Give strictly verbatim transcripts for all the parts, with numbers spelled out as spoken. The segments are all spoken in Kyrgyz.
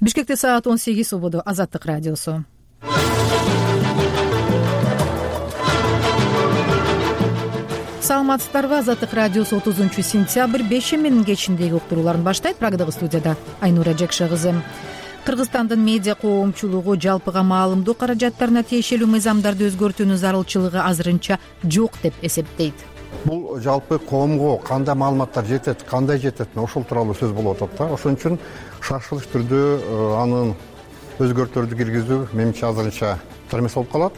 Бишкекте саат он сегиз убуду. Азаттык радиосу. Саламатсыздарбы? Азаттык радиосу отузунчу сентябрь бешеминин кечиндеги уктурууларын баштайт. Прагдагы студияда Айнура Жекше кызы. Кыргызстандын медиа коомчулугу жалпыга маалымдоо каражаттарына тиешелүү мыйзамдарды өзгөртүүнүн зарылчылыгы азырынча жок деп эсептейт. Бул жалпы коомго кандай маалыматтар жетет, кандай жетет, ошол тууралуу сөз болуп атат да. Ошон үчүн шашылыш түрдө анын өзгөртүүлөрдү киргизүү менимче азырынча термес болуп калат.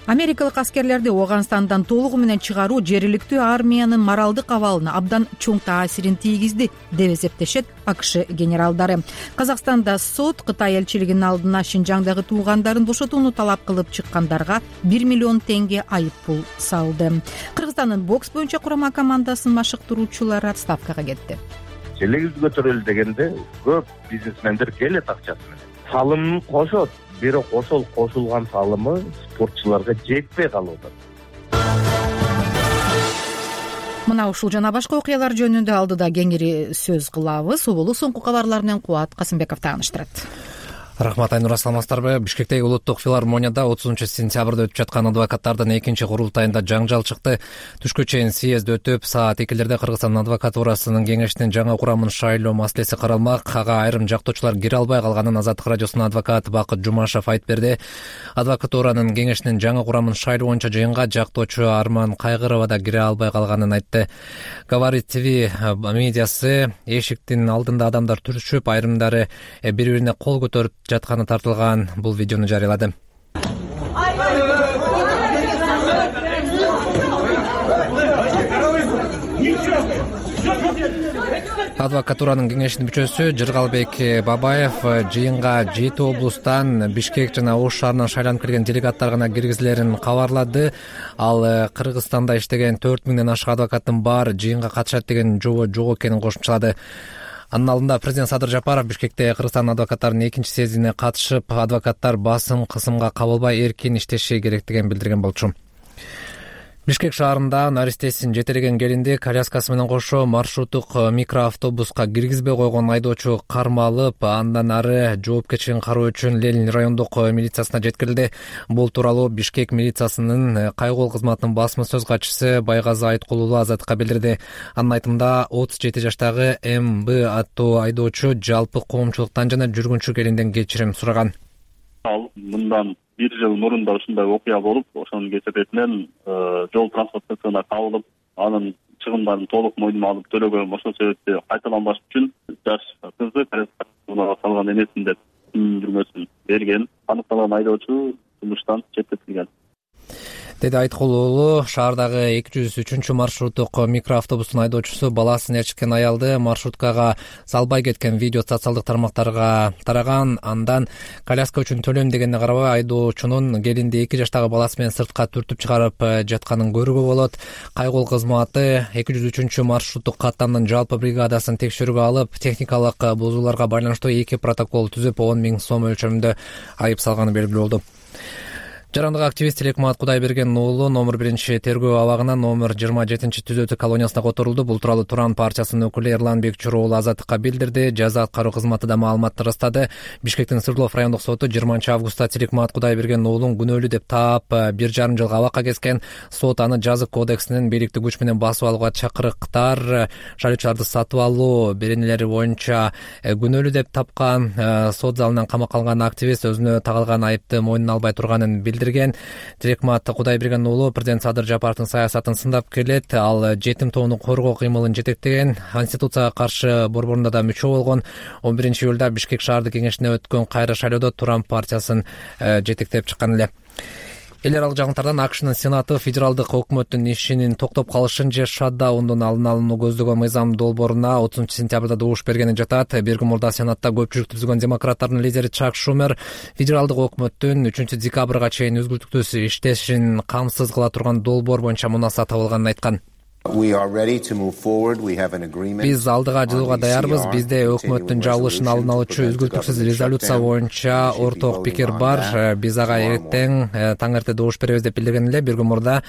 Америкалык аскерлерди Ооганстандан толугу менен чыгаруу жергиликтүү армиянын моралдык абалына абдан чоң таасирин тийгизди деп эсептешет АКШ генералдары. Казакстанда сот Кытай элчилигинин алдына Шинжаңдагы туугандарын бошотууну талап кылып чыккандарга бир миллион теңге айып пул салды. Кыргызстандын бокс боюнча курама командасынын машыктыруучулары отставкага кетти. Желегибиз көтөрөлдү дегенде көп бизнесмендер келет акчасы менен. Салымын кошот. Бирок ошол кошулган салымы спортчуларга жетпей калып атат. Мына ушул жана башка окуялар жөнүндө алдыда кеңири сөз кылабыз. Убулу соңку кабарлар менен Кубат Касымбеков тааныштырат. Рахмат, Айнура, саламатсыздарбы? Бишкектеги улуттук филармонияда отузунчу сентябрда өтүп жаткан адвокаттардын экинчи курултайында жаңжал чыкты. Түшкө чейин съезд өтүп, саат экилерде Кыргызстан адвокатурасынын кеңештин жаңа курамын шайлоо маселеси каралмак. Ага айрым жактоочулар кире албай калганын Азаттык радиосунун адвокаты Бакыт Жумашев айтып берди. Адвокатуранын кеңештин жаңа курамын шайлоо боюнча жыйынга жактоочу Арман Кайгырова да кире албай калганын айтты. Говорит ТВ медиасы эшиктин алдында адамдар түрүшүп, айрымдары бири-бирине кол көтөрүп жатканы тартылган бул видеону жарыялады. Адвокатуранын кеңешинин мүчөсү Жыргалбек Бабаев жыйынга жети облустан, Бишкек жана Ош шаарынан шайланып келген делегаттар гана киргизилерин кабарлады. Ал Кыргызстанда иштеген төрт миңден ашык адвокаттын баары жыйынга катышат деген жобо жок экенин кошумчалады. Анын алдында президент Садыр Жапаров Бишкекте Кыргызстан адвокаттарынын экинчи съездине катышып, адвокаттар басым кысымга кабылбай эркин иштеши керектигин билдирген болчу. Бишкек шаарында наристесин жетелеген келинди коляскасы менен кошо маршруттук микроавтобуска киргизбей койгон айдоочу кармалып, андан ары жоопкерчилигин кароо үчүн Ленин райондук милициясына жеткирилди. Бул тууралуу Бишкек милициясынын кайгол кызматынын басма сөз катчысы Байгазы Айткулулу Азаттыкка билдирди. Анын айтымында отуз жети жаштагы М Б аттуу айдоочу жалпы коомчулуктан жана жүргүнчү келинден кечирим сураган. Ал мындан бир жыл мурунда ушундай окуя болуп, ошонун кесепетинен жол транспорт инспекциясына кабылып, анын чыгымдарын толук мойнума алып төлөгөм. Ошол себепти кайталанбаш үчүн жаш кызды коляскага салган эмесмин деп түшүндүрмөсүн берген. Аныкталган айдоочу жумуштан четтетилген, деди Айткулулу. Шаардагы эки жүз үчүнчү маршруттук микроавтобустун айдоочусу баласын ээрчиткен аялды маршруткага салбай кеткен видео социалдык тармактарга тараган. Андан коляска үчүн төлөйм дегенине карабай айдоочунун келинди эки жаштагы баласы менен сыртка түртүп чыгарып жатканын көрүүгө болот. Кайгол кызматы эки жүз үчүнчү маршруттук каттамдын жалпы бригадасын текшерүүгө алып, техникалык бузууларга байланыштуу эки протокол түзүп, он миң сом өлчөмүндө айып салганы белгилүү болду. Жарандык активист Телекмат Кудайберген уулу номер биринчи тергөө абагына номер жыйырма жетинчи түзөтүү колониясына которулду. Бул тууралуу Туран партиясынын өкүлү Эрлан Бекчур уулу Азаттыкка билдирди. Жаза аткаруу кызматы да маалыматты ырастады. Бишкектин Свердлов райондук соту жыйырманчы августта Телекмат Кудайберген уулун күнөөлүү деп таап, бир жарым жылга абакка кескен. Сот аны жазык кодексинин бийликтик күч менен басып алууга чакырыктар, шайлоочуларды сатып алуу беренелери боюнча күнөөлүү деп тапкан. Сот залынан камакка алынган активист өзүнө тагылган айыпты мойнуна албай турганын билдирген. Телекмат Кудайберген уулу президент Садыр Жапаровдун саясатын сындап келет. Ал жетим тоону коргоо кыймылын жетектеген, Конституцияга каршы борборунда да мүчө болгон. он биринчи июлда Бишкек шаардык кеңешине өткөн кайра шайлоодо Туран партиясын жетектеп чыккан эле. Эл аралык жагынтардан АКШнын Сенаты федералдык өкмөттүн ишинин токтоп калышын же шатдаундун алдын алууну көздөгөн мыйзам долбооруна отузунчу сентябрда добуш бергени жатат. Бир күн мурда Сенатта көпчүлүк түзгөн демократтардын лидери Чак Шумер федералдык өкмөттүн үчүнчү декабрга чейин үзгүлтүктүз иштешин камсыз кыла турган долбоор боюнча мунаса табылганын айткан. Биз алдыга жылууга даярбыз. Бизде өкмөттүн жабылышын алдын алуучу үзгүлтүксүз резолюция боюнча орток пикир бар. Биз ага эртең таң эрте добуш беребиз деп билдирген эле. Бир күн мурда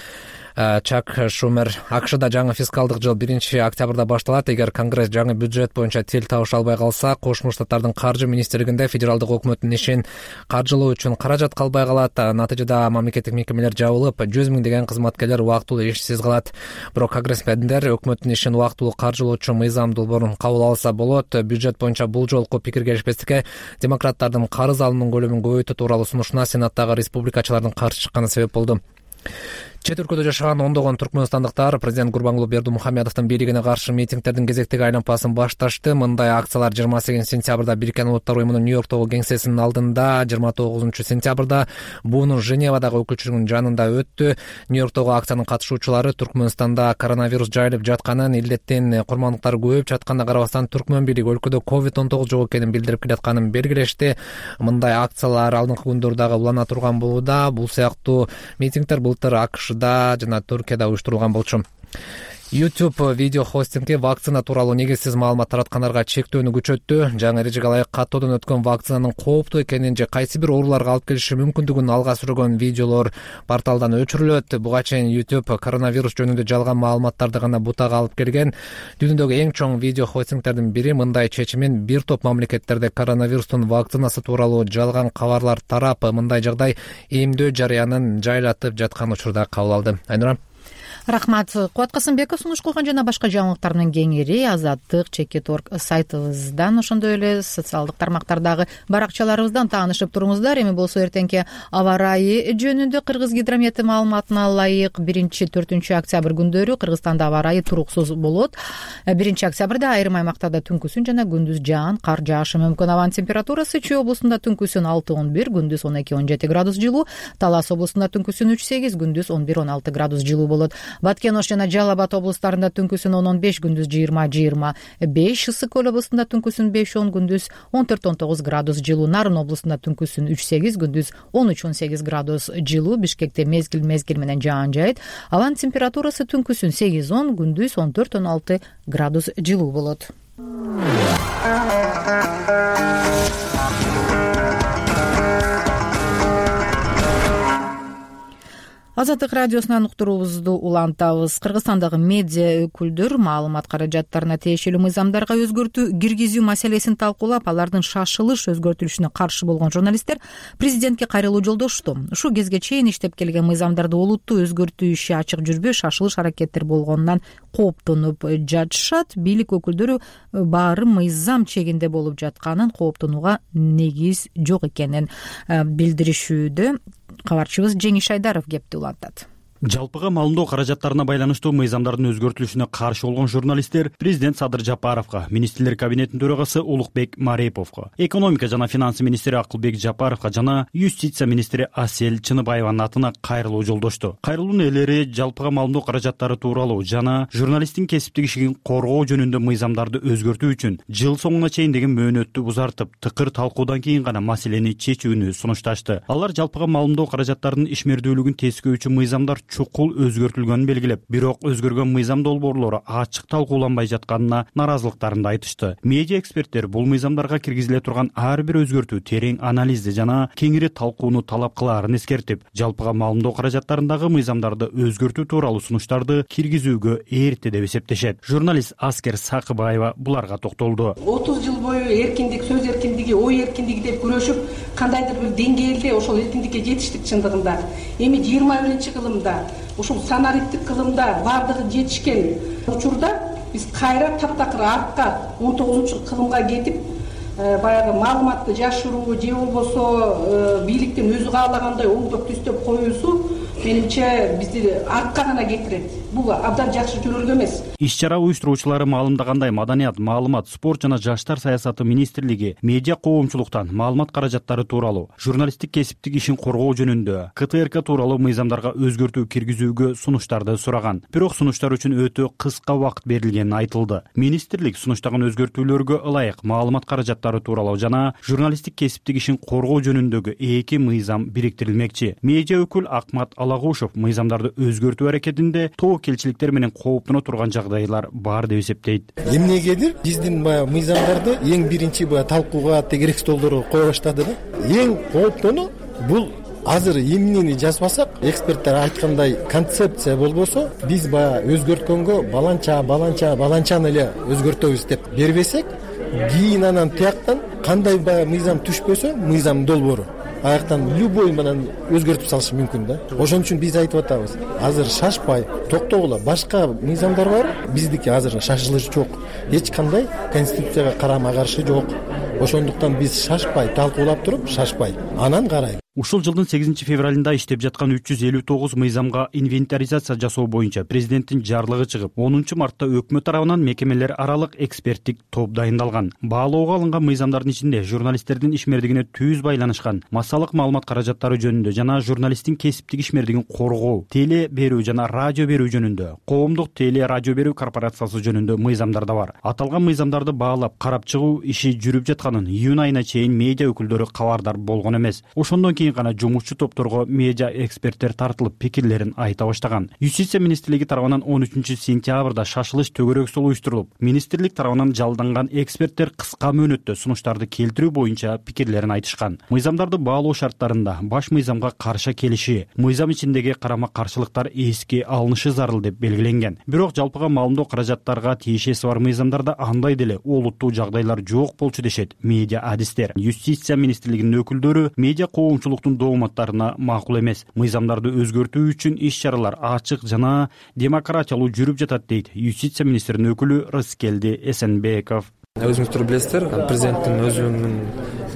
Чак Шумер АКШда жаңы фискалдык жыл биринчи октябрда башталат. Эгер Конгресс жаңы бюджет боюнча тил табыша албай калса, Кошмо Штаттардын каржы министрлигинде федералдык өкмөттүн ишин каржылоо үчүн каражат калбай калат. Натыйжада мамлекеттик мекемелер жабылып, жүз миңдеген кызматкерлер убактылуу ишсиз калат. Бирок конгрессмендер өкмөттүн ишин убактылуу каржылоочу мыйзам долбоорун кабыл алса болот. Бюджет боюнча бул жолку пикир келишпестикке демократтардын карыз алымынын көлөмүн көбөйтүү тууралуу сунушуна Сенаттагы республикачылардын каршы чыкканы себеп болду. Чет өлкөдө жашаган ондогон түркмөнстандыктар президент Гурбангулы Бердимухамедовдун бийлигине каршы митингдердин кезектеги айлампасын башташты. Мындай акциялар жыйырма сегизинчи сентябрда Бириккен Улуттар уюмунун Нью-Йорктогу кеңсесинин алдында, жыйырма тогузунчу сентябрда буунун Женевадагы өкүлчүлүгүнүн жанында өттү. Нью-Йорктогу акциянын катышуучулары Түркмөнстанда коронавирус жайылып жатканын, илдеттин курмандыктары көбөйүп жатканына карабастан Түркмөн бийлиги өлкөдө ковид он тогуз жок экенин билдирип келатканын белгилешти. Мындай акциялар алдыңкы күндөрдө дагы улана турган болууда. Бул сыяктуу митингдер былтыр АКШда жана Түркияда уюштурулган болчу. YouTube видео хостинги вакцина тууралуу негизсиз маалымат тараткандарга чектөөнү күчөттү. Жаңы эрежеге ылайык каттоодон өткөн вакцинанын кооптуу экенин же кайсы бир ооруларга алып келиши мүмкүндүгүн алга сүргөн видеолор порталдан өчүрүлөт. Буга чейин YouTube коронавирус жөнүндө жалган маалыматтарды гана бутага алып келген. Дүйнөдөгү эң чоң видео хостингтердин бири мындай чечимин бир топ мамлекеттерде коронавирустун вакцинасы тууралуу жалган кабарлар тарап, мындай жагдай эмдөө жарыянын жайлатып жаткан учурда кабыл алды. Айнура. Рахмат. Кубат Касымбеков сунуш кылган жана башка жаңылыктар менен кеңири Азаттык чекит точка орг сайтыбыздан, ошондой эле социалдык тармактардагы баракчаларыбыздан таанышып туруңуздар. Эми болсо эртеңки аба ырайы жөнүндө Кыргыз гидромети маалыматына ылайык биринчи төртүнчү октябрь күндөрү Кыргызстанда аба ырайы туруксуз болот. биринчи октябрда айрым аймактарда түнкүсүн жана күндүз жаан, кар жаашы мүмкүн. Абанын температурасы Чүй облусунда түнкүсүн алты он бир, күндүз он эки он жети градус жылуу, Талас облусунда түнкүсүн үч сегиз, күндүз он бир он алты градус жылуу болот. Баткен Ош жана Жалал Абад облустарында түнкүсүн он он беш, күндүз жыйырма жыйырма беш, Ысык Көл облусунда түнкүсүн беш он, күндүз он төрт он тогуз градус жылуу, Нарын облусунда түнкүсүн үч сегиз, күндүз он үч он сегиз градус жылуу, Бишкекте мезгил мезгил менен жаан жайыт. Абанын температурасы түнкүсүн сегиз он, күндүз он төрт он алты градус жылуу болот. Азаттык радиосунан уктуруубузду улантабыз. Кыргызстандагы медиа өкүлдөр маалымат каражаттарына тиешелүү мыйзамдарга өзгөртүү киргизүү маселесин талкуулап, алардын шашылыш өзгөртүлүшүнө каршы болгон журналисттер президентке кайрылуу жолдошту. Ушул кезге чейин иштеп келген мыйзамдарды олуттуу өзгөртүү иши ачык жүрбөй, шашылыш аракеттер болгонунан кооптонуп жатышат. Бийлик өкүлдөрү баары мыйзам чегинде болуп жатканын, кооптонууга негиз жок экенин билдиришүүдө. Кабарчыбыз Жеңиш Айдаров кепти улантат. Жалпыга маалымдоо каражаттарына байланыштуу мыйзамдардын өзгөртүлүшүнө каршы болгон журналисттер президент Садыр Жапаровго, министрлер кабинетинин төрагасы Улукбек Мареповго, экономика жана финансы министри Акылбек Жапаровго жана юстиция министри Асель Чыныбаеванын атына кайрылуу жолдошту. Кайрылуунун ээлери жалпыга маалымдоо каражаттары тууралуу жана журналисттин кесиптик ишин коргоо жөнүндө мыйзамдарды өзгөртүү үчүн жыл соңуна чейин деген мөөнөттү узартып, тыкыр талкуудан кийин гана маселени чечүүнү сунушташты. Алар жалпыга маалымдоо каражаттарынын ишмердүүлүгүн тескөөчү мыйзамдар чукул өзгөртүлгөнүн белгилеп, бирок өзгөргөн мыйзам долбоорлору ачык талкууланбай жатканына наразылыктарын айтышты. Медиа эксперттер бул мыйзамдарга киргизиле турган ар бир өзгөртүү терең анализди жана кеңири талкууну талап кылаарын эскертип, жалпыга маалымдоо каражаттарындагы мыйзамдарды өзгөртүү тууралуу сунуштарды киргизүүгө эрте деп эсептешет. Журналист Аскер Сакыбаева буларга токтолду. отуз жыл бою эркиндик, сөз эркиндиги, ой эркиндиги деп күрөшүп, кандайдыр бир деңгээлде ошол эркиндикке жетиштик чындыгында. Эми жыйырма биринчи кылымда ушул санариптик кылымда бардыгы жетишкен учурда биз кайра таптакыр артка он тогузунчу кылымга кетип, баягы маалыматты жашыруу же болбосо бийликтин өзү каалагандай оңдоп түздөп коюусу менимче бизди артка гана кетирет. Бул абдан жакшы жөнөлгө эмес. Иш-чара уюштуруучулары маалымдагандай, Маданият, маалымат, спорт жана жаштар саясаты министрлиги медиа коомчулуктан маалымат каражаттары тууралуу, журналисттик кесиптик ишин коргоо жөнүндө К Т Р К тууралуу мыйзамдарга өзгөртүү киргизүүгө сунуштарды сураган. Бирок сунуштар үчүн өтө кыска убакыт берилгени айтылды. Министрлик сунуштаган өзгөртүүлөргө ылайык маалымат каражаттары тууралуу жана журналисттик кесиптик ишин коргоо жөнүндөгү эки мыйзам бириктирилмекчи. Медиа өкүл Акмат Алагушев мыйзамдарды өзгөртүү аракетинде тобокелчиликтер менен кооптоно турган жагдайлар бар деп эсептейт. Эмнегедир биздин баягы мыйзамдарды эң биринчи баягы талкууга тегерек столдорго кое баштады да. Эң кооптону бул азыр эмнени жазбасак, эксперттер айткандай концепция болбосо, биз баягы өзгөрткөнгө баланча баланча баланчаны эле өзгөртөбүз деп бербесек, кийин анан тияктан кандай баягы мыйзам түшпөсө, мыйзам долбоору аяктан любой менен өзгөртүп салышы мүмкүн да. Ошон үчүн биз айтып атабыз, азыр шашпай токтогула, башка мыйзамдар бар, биздики азыр шашылыш жок, эч кандай конституцияга карама каршы жок. Ошондуктан биз шашпай, талкуулап туруп, шашпай, анан карайбыз. Ушул жылдын сегизинчи февралында иштеп жаткан үч жүз элүү тогуз мыйзамга инвентаризация жасоо боюнча президенттин жарлыгы чыгып, онунчу мартта өкмөт тарабынан мекемелер аралык эксперттик топ дайындалган. Баалоого алынган мыйзамдардын ичинде журналисттердин ишмердигине түз байланышкан массалык маалымат каражаттары жөнүндө жана журналисттин кесиптик ишмердигин коргоо, теле берүү жана радио берүү жөнүндө, коомдук теле радио берүү корпорациясы жөнүндө мыйзамдар да бар. Аталган мыйзамдарды баалап, карап чыгуу иши жүрүп жатканын июнь айына чейин медиа өкүлдөрү кабардар болгон эмес. Ошондон кийин гана жумушчу топторго медиа эксперттер тартылып пикирлерин айта баштаган. Юстиция министрлиги тарабынан он үчүнчү сентябрда шашылыш төгөрөксөл уюштурулуп, министрлик тарабынан жалданган эксперттер кыска мөөнөттө сунуштарды келтирүү боюнча пикирлерин айтышкан. Мыйзамдарды баалоо шарттарында баш мыйзамга каршы келиши, мыйзам ичиндеги карама каршылыктар эске алынышы зарыл деп белгиленген. Бирок жалпыга маалымдоо каражаттарга тиешеси бар мыйзамдарда андай деле олуттуу жагдайлар жок болчу дешет медиа адистер. Юстиция министрлигинин өкүлдөрү медиа коомчулуктун дооматтарына макул эмес. Мыйзамдарды өзгөртүү үчүн иш-чаралар ачык жана демократиялуу жүрүп жатат дейт юстиция министринин өкүлү Рыскелди Эсенбеков. Өзүңүздөр билесиздер, президенттин өзүнүн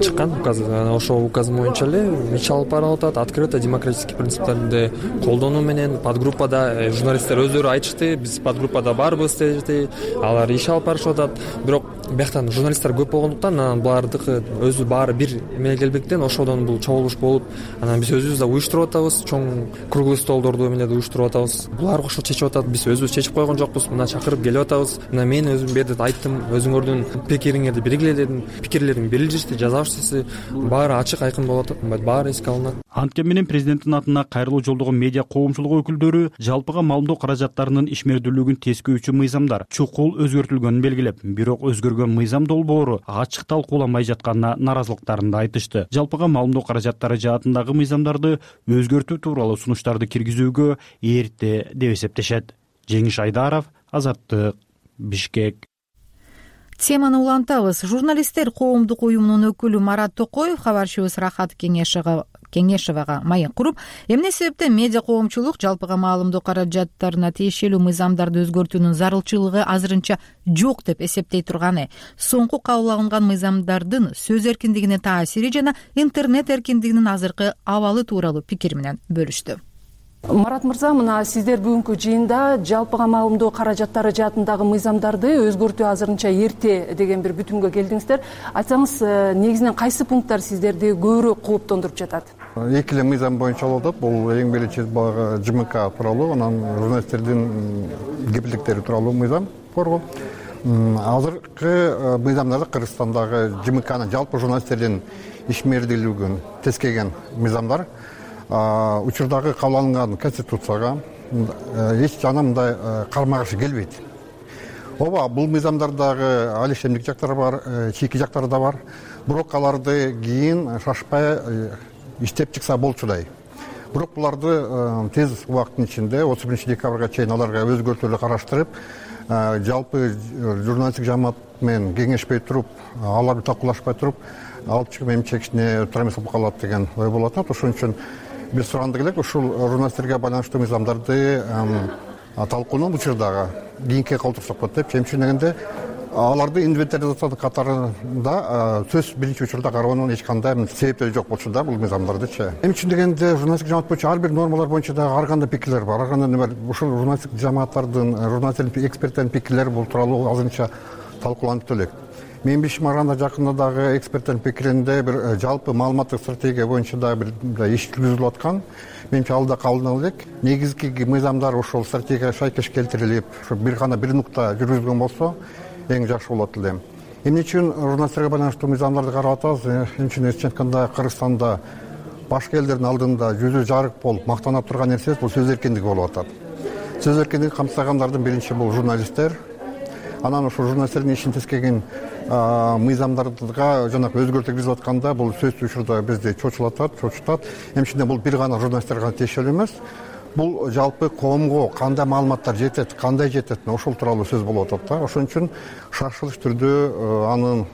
чыккан указы, ошол указ боюнча эле иш алып барылып атат. Открыто демократический принциптерди колдонуу менен подгруппада журналисттер өздөрү айтышты, биз подгруппада барбыз деди, алар иш алып барышып атат. Бирок бияктан журналисттер көп болгондуктан анан булардыкы өзү баары бир эмеге келбектен ошодон бул чогулуш болуп, анан биз өзүбүз да уюштуруп атабыз, чоң круглый столдорду эмеледи уюштуруп атабыз. Булар ошо чечип атат, биз өзүбүз чечип койгон жокпуз, мына чакырып келип атабыз. Мына мен өзүм берди айттым, өзүңөрдүн пикириңерди белгиле дедим, пикирлерин берилишти, жазабызчысы баары ачык айкын болуп атат, баары эске алынат. Анткени менен президенттин атына кайрылуу жолдогон медиа коомчулугу өкүлдөрү жалпыга маалымдоо каражаттарынын ишмердүүлүгүн тескөөчү мыйзамдар чукул өзгөртүлгөнүн белгилеп, бирок өзгөргөн мыйзам долбоору ачык талкууланбай жатканына наразылыктарын да айтышты. Жалпыга маалымдоо каражаттары жаатындагы мыйзамдарды өзгөртүү тууралуу сунуштарды киргизүүгө эрте деп эсептешет. Жеңиш Айдаров, Азаттык, Бишкек. Теманы улантабыз. Журналисттер коомдук уюмунун өкүлү Марат Токоев кабарчыбыз Рахат Кеңешова Кеңешевага маек куруп, эмне себептен медиа коомчулук жалпыга маалымдоо каражаттарына тиешелүү мыйзамдарды өзгөртүүнүн зарылчылыгы азырынча жок деп эсептей турганы, соңку кабыл алынган мыйзамдардын сөз эркиндигине таасири жана интернет эркиндигинин азыркы абалы тууралуу пикир менен бөлүштү. Марат мырза, мына сиздер бүгүнкү жыйында жалпыга маалымдоо каражаттары жаатындагы мыйзамдарды өзгөртүү азырынча эрте деген бир бүтүнгө келдиңиздер. Айтсаңыз, негизинен кайсы пункттар сиздерди көбүрөөк кооптондуруп жатат? Эки эле мыйзам боюнча болуп атат. Бул эң биринчи баягы ЖМК тууралуу, анан журналисттердин кепилдиктери тууралуу мыйзам коргоо. Азыркы мыйзамдарда Кыргызстандагы ЖМКнын жалпы журналисттердин ишмердүүлүгүн тескеген мыйзамдар учурдагы кабыл алынган конституцияга эч жана мындай карама каршы келбейт. Ооба, бул мыйзамдардагы алишемдик жактары бар, чийки жактары да бар. Бирок аларды кийин шашпай иштеп чыкса болчудай. Бирок буларды тез убакыттын ичинде отуз биринчи декабрга чейин аларга өзгөртүүлөр караштырып, жалпы журналисттик жамаат менен кеңешпей туруп, аларды талкуулашпай туруп, алып чыгып эми чекишине тура эмес болуп калат деген ой болуп атат. Ошон үчүн биз сурагандык элек ушул журналисттерге байланыштуу мыйзамдарды талкуунун учурдагы кийинки калтырсак болот деп, чемчүн дегенде аларды инвентаризациянын катарында сөз биринчи учурда кароонун эч кандай себептери жок болчу да бул мыйзамдардычы. Эми үчүн дегенде журналисттик жамаат боюнча ар бир нормалар боюнча дагы ар кандай пикирлер бар. Ар кандай бар. Ушул журналисттик жамааттардын, журналисттердин, эксперттердин пикирлери бул тууралуу азырынча талкууланып элек. Мен билишиме караганда жакында дагы эксперттердин пикиринде бир жалпы маалыматтык стратегия боюнча дагы бир иш жүргүзүлүп аткан. Менимче ал да кабылдана элек. Негизги мыйзамдар ошол стратегияга шайкеш келтирилип, ошо бир гана бир нукта жүргүзүлгөн болсо эң жакшы болот эле. Эмне үчүн журналисттерге байланыштуу мыйзамдарды карап атабыз? Эмне үчүн эч айтканда Кыргызстанда башка элдердин алдында жүзү жарык болуп мактана турган нерсе бул сөз эркиндиги болуп атат. Сөз эркиндигин камсагандардын биринчи бул журналисттер. Анан ошо журналисттердин ишин тескеген мыйзамдарга жанагы өзгөртүү киргизип атканда бул сөзсүз учурда бизди чочулатат, чочутат. Эмчинде бул бир гана журналисттерге тиешелүү эмес. Бул жалпы коомго кандай маалыматтар жетет, кандай жетет, ошол тууралуу сөз болуп атат да. Ошон үчүн шаршылык түрдө анын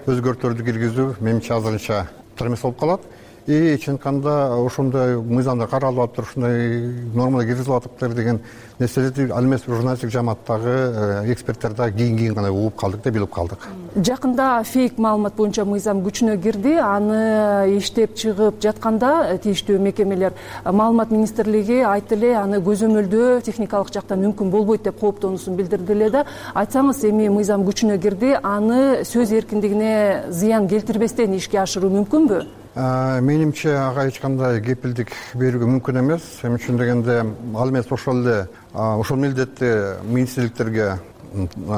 өзгөртүүлөрдү киргизүү менимче азырынча туура эмес болуп калат. И чын айтканда ошондой мыйзамдар каралып атыптыр, ушундай нормалар киргизилип атыптыр деген нерселерди ал эмес журналисттик жамааттагы эксперттер да кийин кийин гана угуп калдык да, билип калдык. Жакында фейк маалымат боюнча мыйзам күчүнө кирди. Аны иштеп чыгып жатканда тийиштүү мекемелер маалымат министрлиги айтты эле аны көзөмөлдөө техникалык жактан мүмкүн болбойт деп кооптонуусун билдирди эле да. Айтсаңыз, эми мыйзам күчүнө кирди, аны сөз эркиндигине зыян келтирбестен ишке ашыруу мүмкүнбү? Менимче ага эч кандай кепилдик берүүгө мүмкүн эмес. Эмне үчүн дегенде, ал эмес ошол эле ошол милдетти министрликтерге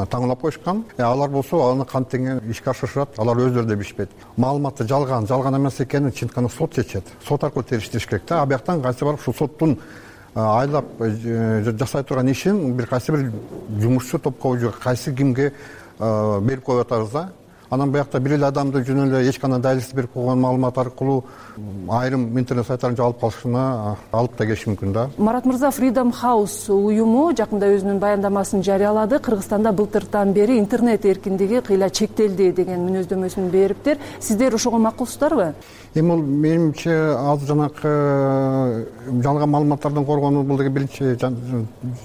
таңдап коюшкан. Алар болсо аны кантиң ишке ашырышат, алар өздөрү да билишпейт. Маалыматты жалган, жалган эмес экенин чын айтканда сот чечет. Сот аркылуу териштириш керек да. А бияктан кайсы барып ушул соттун айлап жасай турган ишин бир кайсы бир жумушчу топко же кайсы кимге берип коюп атабыз да. Анан биякта бир эле адамды жөн эле эч кандай далилсиз берип койгон маалымат аркылуу айрым интернет сайттарын жаап калышына алып да келиши мүмкүн да. Марат мырза, Freedom House уюму жакында өзүнүн баяндамасын жарыялады. Кыргызстанда былтыртан бери интернет эркиндиги кыйла чектелди деген мүнөздөмөсүн бериптир. Сиздер ошого макулсуздарбы? Эми бул менимче азыр жанакы жалган маалыматтардан коргонуу, бул деген биринчи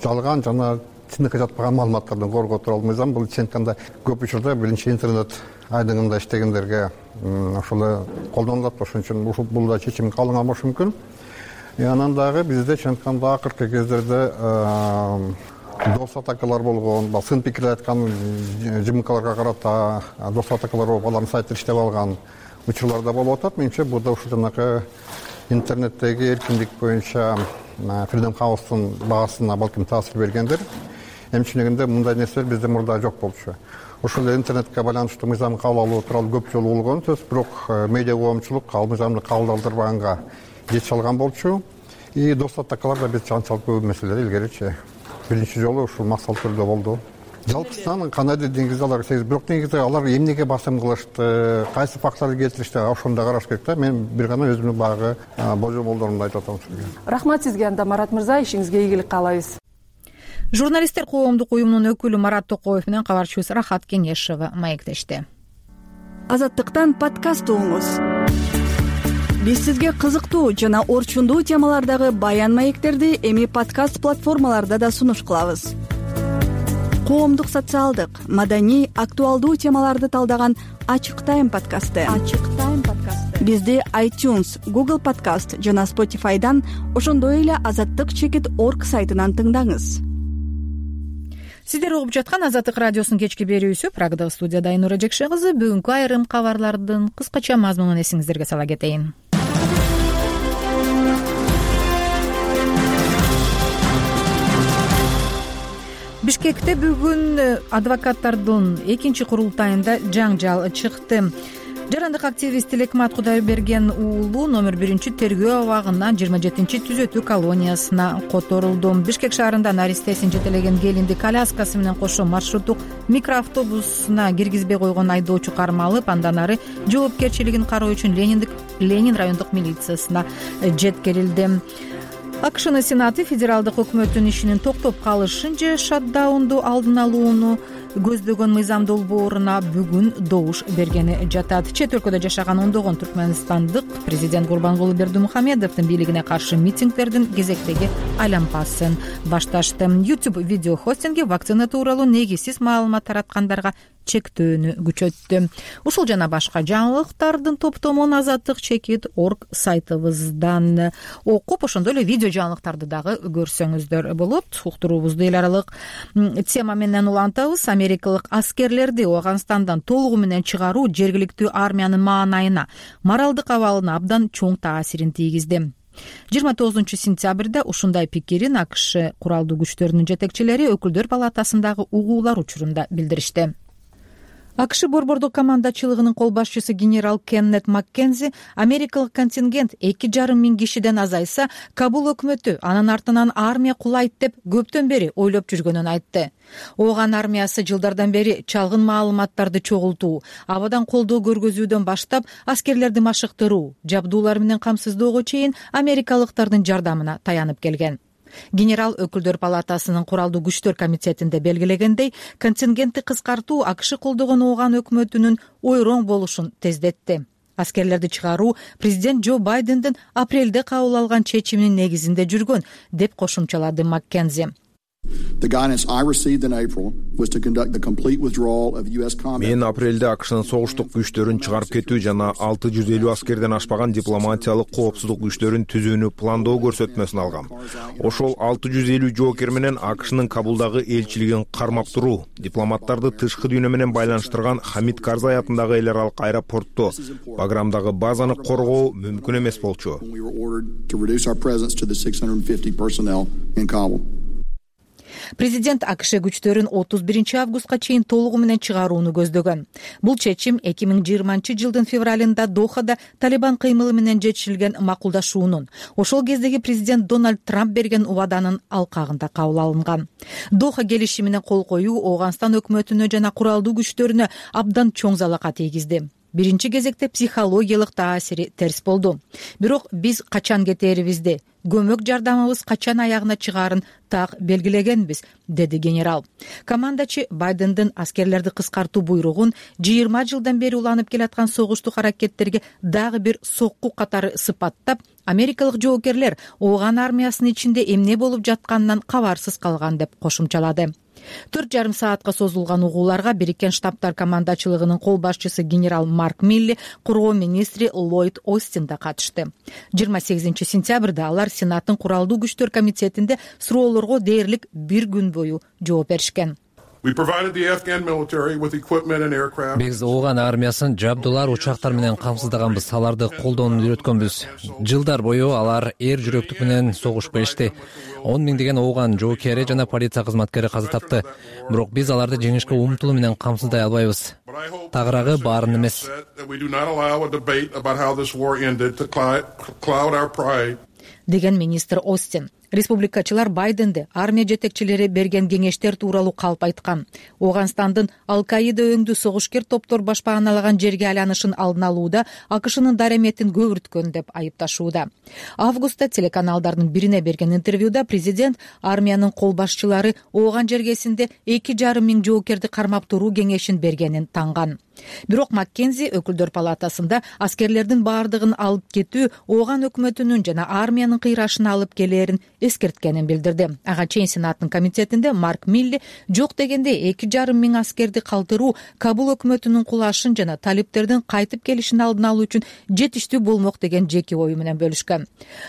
жалган жана чындыкка жатпаган маалыматтардан коргоо тууралуу мыйзам. Бул чын айтканда көп учурда биринчи интернет айдыңында иштегендерге ошол колдонулат. Ошон үчүн бул да чечим кабылган болушу мүмкүн. Анан дагы бизде чын айтканда акыркы кездерде дос атакалар болгон, сын пикир айткан жымыкаларга карата дос атакалар болуп, алардын сайты иштеп алган учурлар да болуп атат. Менимче бул да ушул жанакы интернеттеги эркиндик боюнча Freedom House'тун багасына балким таасир бергендир. Эмчи дегенде мындай нерселер бизде мурда жок болчу. Ошол эле интернетке байланыштуу мыйзам кабыл алуу тууралуу көп жолу болгон сөз, бирок медиа коомчулук ал мыйзамды кабыл алдырбаганга жетише алган болчу. И дос атакалар да биз анчалык көп маселелер илгеричи биринчи жолу ушул максат түрдө болду. Жалпысынан кандайдыр деңгизде алар сегиз, бирок негизде алар эмнеге басым кылышты, кайсы факторду келтиришти, ошону да караш керек да. Мен бир гана өзүмдүн баягы божомолдорумду айтып атам сизге. Рахмат сизге анда, Марат мырза, ишиңизге ийгилик каалайбыз. Журналисттер коомдук уюмунун өкүлү Марат Токоев менен кабарчыбыз Рахат Кеңешова маектешти. Азаттыктан подкаст угуңуз. Биз сизге кызыктуу жана орчундуу темалардагы баян маектерди эми подкаст платформаларда да сунуш кылабыз. Коомдук, социалдык, маданий, актуалдуу темаларды талдаган Ачык Тайм подкасты. Ачык Тайм подкасты. Бизди iTunes, Google Podcast жана Spotify'дан, ошондой эле азаттык чекит точка орг сайтынан тыңдаңыз. Сиздер угуп жаткан Азаттык радиосунун кечки берүүсү. Прагадагы студияда Айнура Жекше кызы. Бүгүнкү айрым кабарлардын кыскача мазмунун эсиңиздерге сала кетейин. Бишкекте бүгүн адвокаттардын экинчи курултайында жаңжал чыкты. Жарандык активист Тилекмат Кудайберген уулу номер биринчи тергөө абагына жыйырма жетинчи түзөтүү колониясына которулду. Бишкек шаарында наристесин жетелеген келинди коляскасы менен кошо маршруттук микроавтобусуна киргизбей койгон айдоочу кармалып, андан ары жоопкерчилигин кароо үчүн Лениндик Ленин райондук милициясына жеткирилди. АКШнын Сенаты федералдык өкмөттүн ишинин токтоп калышын же шатдаунду алдын алууну көздөгөн мыйзам долбооруна бүгүн добуш бергени жатат. Чет өлкөдө жашаган ондогон түркмөнстандык президент Гурбангулы Бердимухамедовдун бийлигине каршы митингдердин кезектеги айлампасын башташты. YouTube видео хостинги вакцина тууралуу негизсиз маалымат тараткандарга чектөөнү күчөттү. Ушул жана башка жаңылыктардын топтомун азаттык чекит точка орг сайтыбыздан окуп, ошондой эле видео жаңылыктарды дагы көрсөңүздөр болот. Уктуруубузду эл аралык тема менен улантабыз. Америкалык аскерлерди Афганистандан толугу менен чыгаруу жергиликтүү армиянын маанайына, моралдык абалына абдан чоң таасирин тийгизди. жыйырма тогузунчу сентябрда ушундай пикирин АКШ куралдуу күчтөрүнүн жетекчилери өкүлдөр палатасындагы угуулар учурунда билдиришти. акш борбордук командачылыгынын кол башчысы генерал Кеннет Маккензи америкалык контингент эки жарым миң кишиден азайса, Кабул өкмөтү анын артынан армия кулайт деп көптөн бери ойлоп жүргөнүн айтты. Ооган армиясы жылдардан бери чалгын маалыматтарды чогултуу, абадан колдоо көргөзүүдөн баштап аскерлерди машыктыруу, жабдуулар менен камсыздоого чейин америкалыктардын жардамына таянып келген. Генерал өкүлдөр палатасынын куралдуу күчтөр комитетинде белгилегендей, контингентти кыскартуу акш колдогон Ооган өкмөтүнүн ойроң болушун тездетти. Аскерлерди чыгаруу президент Джо Байдендин апрелде кабыл алган чечиминин негизинде жүргөн, деп кошумчалады Маккензи. Мен апрелде акштын согуштук күчтөрүн чыгарып кетүү жана алты жүз элүү аскерден ашпаган дипломатиялык коопсуздук күчтөрүн түзүүнү пландоо көрсөтмөсүн алгам. Ошол алты жүз элүү жоокер менен акштын Кабулдагы элчилигин кармап туруу, дипломаттарды тышкы дүйнө менен байланыштырган Хамид Карзай атындагы эл аралык аэропортто Баграмдагы базаны коргоо мүмкүн эмес болчу. Президент акш күчтөрүн отуз биринчи августка чейин толугу менен чыгарууну көздөгөн. Бул чечим эки миң жыйырманчы жылдын февралында Дохада Талибан кыймылы менен жетишилген макулдашуунун, ошол кездеги президент Дональд Трамп берген убаданын алкагында кабыл алынган. Доха келишимине кол коюу Ооганстан өкмөтүнө жана куралдуу күчтөрүнө абдан чоң залака тийгизди. Биринчи кезекте психологиялык таасири терс болду. Бирок биз качан кетерибизди, көмөк жардамыбыз качан аягына чыгаарын так белгилегенбиз, деди генерал. Командачы Байдендин аскерлерди кыскартуу буйругун жыйырма жылдан бери уланып келаткан согуштук аракеттерге дагы бир сокку катары сыпаттап, америкалык жоокерлер Ооган армиясынын ичинде эмне болуп жатканынан кабарсыз калган деп кошумчалады. Төрт жарым саатка созулган угууларга Бириккен Штаттар командачылыгынын кол башчысы генерал Марк Милли, коргоо министри Ллойд Остин да катышты. жыйырма сегизинчи сентябрда алар Сенаттын куралдуу күчтөр комитетинде суроолорго дээрлик бир күн бою жооп беришкен. Биз Ооган армиясын жабдуулар, учактар менен камсыздаганбыз, аларды колдоону үйрөткөнбүз. Жылдар бою алар эр жүрөктүк менен согуш беришти. он миңдеген Ооган жоокери жана полиция кызматкери каза тапты. Бирок биз аларды жеңишке умтулуу менен камсыздай албайбыз. Тагыраагы баарын эмес. Деген министр Остин. Республикачылар Байденди армия жетекчилери берген кеңештер тууралуу калп айткан. Ооганстандын Ал-Каида өңдүү согушкер топтор башпааналаган жерге айланышын алдын алууда акшнын дареметин көбүрткөн деп айыпташууда. Августта телеканалдардын бирине берген интервьюда президент армиянын кол башчылары Ооган жергесинде эки жарым миң жоокерди кармап туруу кеңешин бергенин танган. Бирок Маккензи өкүлдөр палатасында аскерлердин баардыгын алып кетүү Ооган өкмөтүнүн жана армиянын кыйрашына алып келээрин эскерткенин билдирди. Ага чейин Сенаттын комитетинде Марк Милли жок дегенде эки жарым миң аскерди калтыруу Кабул өкмөтүнүн кулашын жана талиптердин кайтып келишин алдын алуу үчүн жетиштүү болмок деген жеке ою менен бөлүшкөн.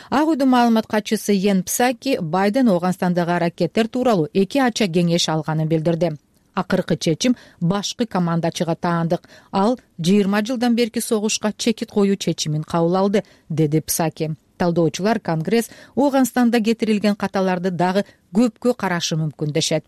Ак үйдүн маалымат катчысы Йен Псаки Байден Ооганстандагы аракеттер тууралуу эки ача кеңеш алганын билдирди. Акыркы чечим башкы командачыга таандык. Ал жыйырма жылдан берки согушка чекит коюу чечимин кабыл алды, деди Псаки. Талдоочулар Конгресс Ооганстанда кетирилген каталарды дагы көпкө карашы мүмкүн дешет.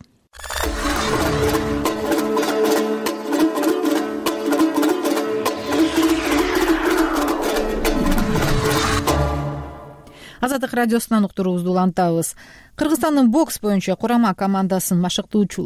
Азаттык радиосунан уктуруубузду улантабыз. Кыргызстандын бокс боюнча курама командасынын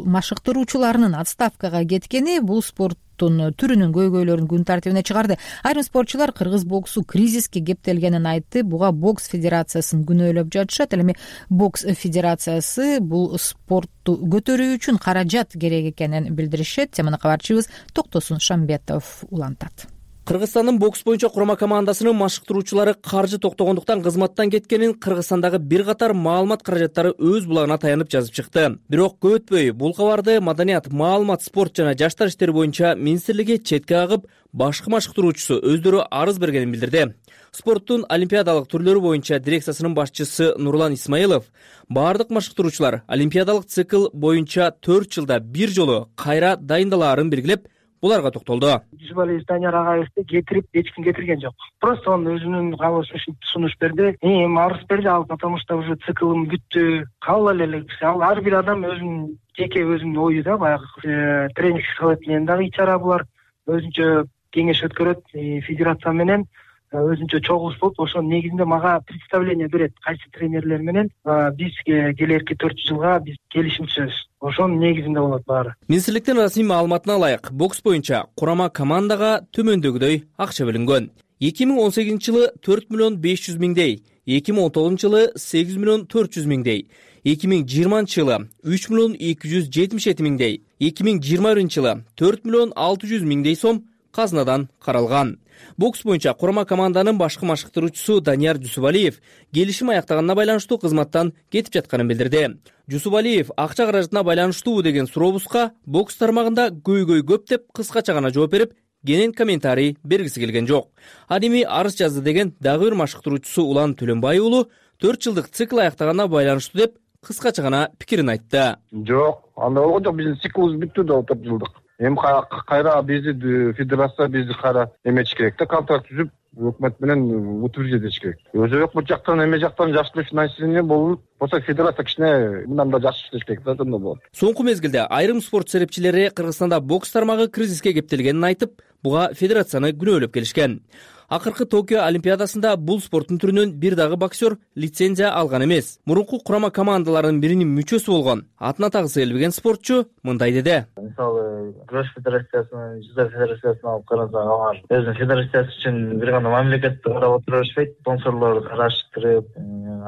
машыктыруучуларынын отставкага кеткени бул спорттун түрүнүн көйгөйлөрүн күн тартибине чыгарды. Айрым спортчулар кыргыз боксу кризиске кептелгенин айтты. Буга бокс федерациясын күнөөлөп жатышат. Ал эми бокс федерациясы бул спортту көтөрүү үчүн каражат керек экенин билдиришет. Теманы кабарчыбыз Токтосун Шамбетов улантат. Кыргызстандын бокс боюнча курама командасынын машыктыруучулары каржы токтогондуктан кызматтан кеткенин Кыргызстандагы бир катар маалымат каражаттары өз булагына таянып жазып чыкты. Бирок көп өтпөй бул кабарды Маданият, маалымат, спорт жана жаштар иштери боюнча министрлиги четке кагып, башкы машыктыруучусу өздөрү арыз бергенин билдирди. Спорттун олимпиадалык түрлөрү боюнча дирекциясынын башчысы Нурлан Исмаилов баардык машыктыруучулар олимпиадалык цикл боюнча төрт жылда бир жолу кайра дайындалаарын белгилеп, буларга токтолду. Жусупалиев Данияр агайыбызды кетирип эч ким кетирген жок. Просто он өзүнүн каалоосу ушинтип сунуш берди. Эми арыз берди ал, потому что уже циклым бүттү. Кабыл эле ал ар бир адам өзүнүн жеке өзүнүн ою да, баягы тренинг совет менен дагы ичара булар өзүнчө кеңеш өткөрөт, федерация менен өзүнчө чогулуш болуп, ошонун негизинде мага представление берет кайсы тренерлер менен бизге келерки төрт жылга биз келишим түзөбүз. Ошонун негизинде болот баары. Министрликтин расмий маалыматына ылайык, бокс боюнча курама командага төмөндөгүдөй акча бөлүнгөн. эки миң он сегизинчи жылы төрт миллион беш жүз миңдей, эки миң он тогузунчу жылы сегиз миллион төрт жүз миңдей, эки миң жыйырманчы жылы үч миллион эки жүз жетимиш эки миңдей, эки миң жыйырма биринчи жылы төрт миллион алты жүз миңдей сом казынадан каралган. Бокс боюнча курама команданын башкы машыктыруучусу Данияр Жусупалиев келишим аяктаганына байланыштуу кызматтан кетип жатканын билдирди. Жусупалиев акча каражатына байланыштуу деген сурообузга бокс тармагында көйгөй көп деп кыскача гана жооп берип, кенен комментарий бергиси келген жок. Ал эми арыз жазды деген дагы бир машыктыруучусу Улан Төлөнбай уулу төрт жылдык цикл аяктаганына байланыштуу деп кыскача гана пикирин айтты. Жок, андай болгон жок, биздин циклыбыз бүттү да төрт жылдык. Эми кайра бизди федерация бизди кайра эметиш керек да, контракт түзүп өкмөт менен утверждать этиш керек. Өзү өкмөт жактан эме жактан жакшы финансирование болуп, болсо федерация кичине мындан да жакшы иштеш керек да, ошондо болот. Соңку мезгилде айрым спорт серепчилери Кыргызстанда бокс тармагы кризиске кептелгенин айтып, буга федерацияны күнөөлөп келишкен. Акыркы Токио Олимпиадасында бул спорттун түрүнөн бир дагы боксер лицензия алган эмес. Мурунку курама командаларынын биринин мүчөсү болгон атын атагысы келбеген спортчу мындай деди. Мисалы, күрөш федерациясынын, жүзүү федерациясына алып карасак, алар өзүнүн федерациясы үчүн бир гана мамлекетти карап отура беришпейт, спонсорлорду караштырып,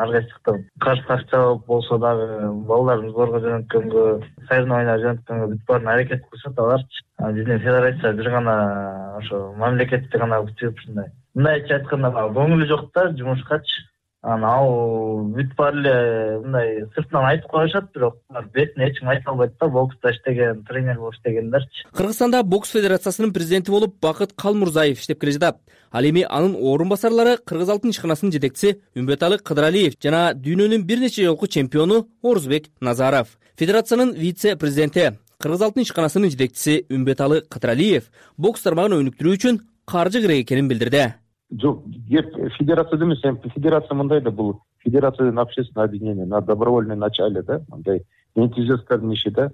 ар кайсыктан каршы акча болсо дагы балдарын сборго жөнөткөнгө, соревнования жөнөткөнгө бүт баарын аракет кылышат аларчы. Биздин федерация бир гана ошо мамлекетти гана күтүп ушундай. Мындайча айтканда, көңүлү жок да жумушкачы. Анан ал бүт баары эле мындай сыртынан айтып коюшат, бирок бетине эч ким айта албайт да, бокста иштеген, тренер болуп иштегендерчи. Кыргызстанда бокс федерациясынын президенти болуп Бакыт Калмурзаев иштеп келе жатат. Ал эми анын орун басарлары Кыргыз алтын ишканасынын жетекчиси Үмбеталы Кыдыралиев жана дүйнөнүн бир нече жолку чемпиону Орузбек Назаров. Федерациянын вице-президенти, Кыргыз алтын ишканасынын жетекчиси Үмбеталы Кыдыралиев бокс тармагын өнүктүрүү үчүн каржы керек экенин билдирди. Жок, геп федерация эмес, федерация мындай да, бул федерация общественное объединение на добровольном начале да, мындай энтузиасттардын иши да.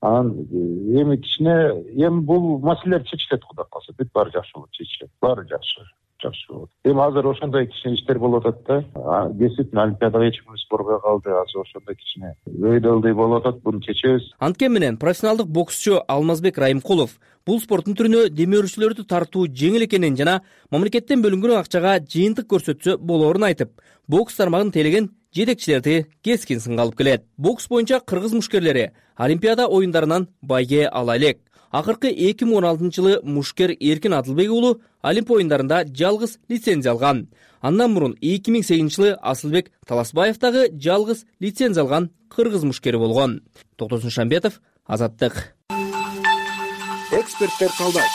Анан эми кичине эми бул маселелер чечилет, Кудай калса, бүт баары жакшы болот, чечилет. Баары жакшы, жакшы болот. Эми азыр ошондой кичине иштер болуп атат да. Действительно Олимпиадага эч ким сборго калды, азыр ошондой кичине өйдөлдөй болуп атат, буну чечебиз. Анткени менен профессионалдык боксчу Алмазбек Райымкулов бул спорттун түрүнө демөөрчүлөрдү тартуу жеңил экенин жана мамлекеттен бөлүнгөн акчага жыйынтык көрсөтсө болоорун айтып, бокс тармагын тейлеген жетекчилерди кескин сынга алып келет. Бокс боюнча кыргыз мушкерлери Олимпиада оюндарынан байге ала элек. Акыркы эки миң он алтынчы жылы мушкер Эркин Адылбек уулу Олимп оюндарында жалгыз лицензия алган. Андан мурун эки миң сегизинчи жылы Асылбек Таласбаев дагы жалгыз лицензия алган кыргыз мушкери болгон. Токтосун Шамбетов, Азаттык. Эксперттер талдайт.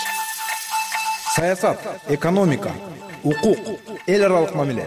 Саясат, экономика, укук, эл аралык мамиле,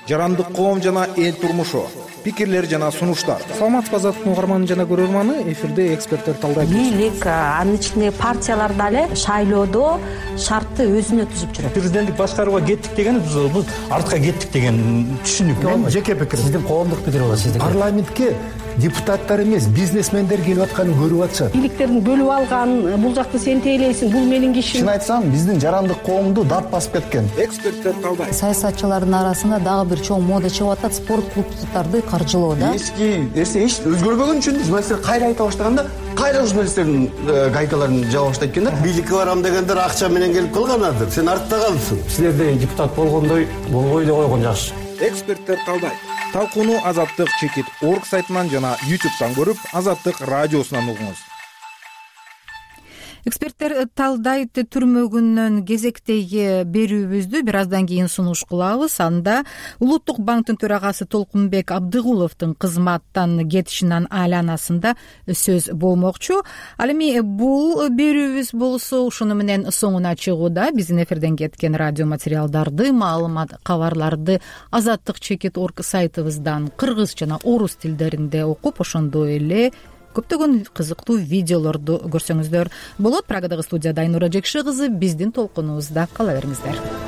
жарандык коом жана эл турмушу, пикирлер жана сунуштар. Саламатсызбы Азаттык угарманы жана көрөрманы, эфирде эксперттер талдайт. Бийлик, анын ичинде партиялар дагы шайлоодо шартты өзүнө түзүп жүрөт. Президенттик башкарууга кеттик деген биз артка кеттик деген түшүнүк. Мен жеке пикирим. Сиздин коомдук пикир болот, сиздин. Парламентке депутаттар эмес, бизнесмендер келип атканын көрүп атышат. Бийликтердин бөлүп алган, бул жакты сен тейлейсиң, бул менин кишим. Чын айтсам, биздин жарандык коомду дат басып кеткен. Эксперттер талдайт. Саясатчылардын арасында дагы бир чоң мода чыгып атат, спорт клубдарды каржылоо да. Эски нерсе эч өзгөрбөгөн үчүн журналисттер кайра айта баштаганда, кайра журналисттердин гайкаларын жаба баштайт экен да. Бийликке барам дегендер акча менен келип калганадыр. Сен артта калдың. Силерде депутат болгондой болбой эле койгон жакшы. Эксперттер талдайт. Талкууну Азаттык чекит орг сайтынан жана ютубтан көрүп, Азаттык радиосунан угуңуз. Эксперттер талдайт түрмөгүнөн кезектеги берүүбүздү бир аздан кийин сунуш кылабыз. Анда Улуттук банктын төрагасы Толкунбек Абдыгуловдун кызматтан кетишинин айланасында сөз болмокчу. Ал эми бул берүүбүз болсо ушуну менен соңуна чыгууда. Биздин эфирден кеткен радио материалдарды, маалымат, кабарларды Азаттык чекит орг сайтыбыздан кыргыз жана орус тилдеринде окуп, ошондой эле көптөгөн кызыктуу видеолорду көрсөңүздөр болот. Прагадагы студияда Айнура Жекши кызы, биздин толкунубузда кала бериңиздер.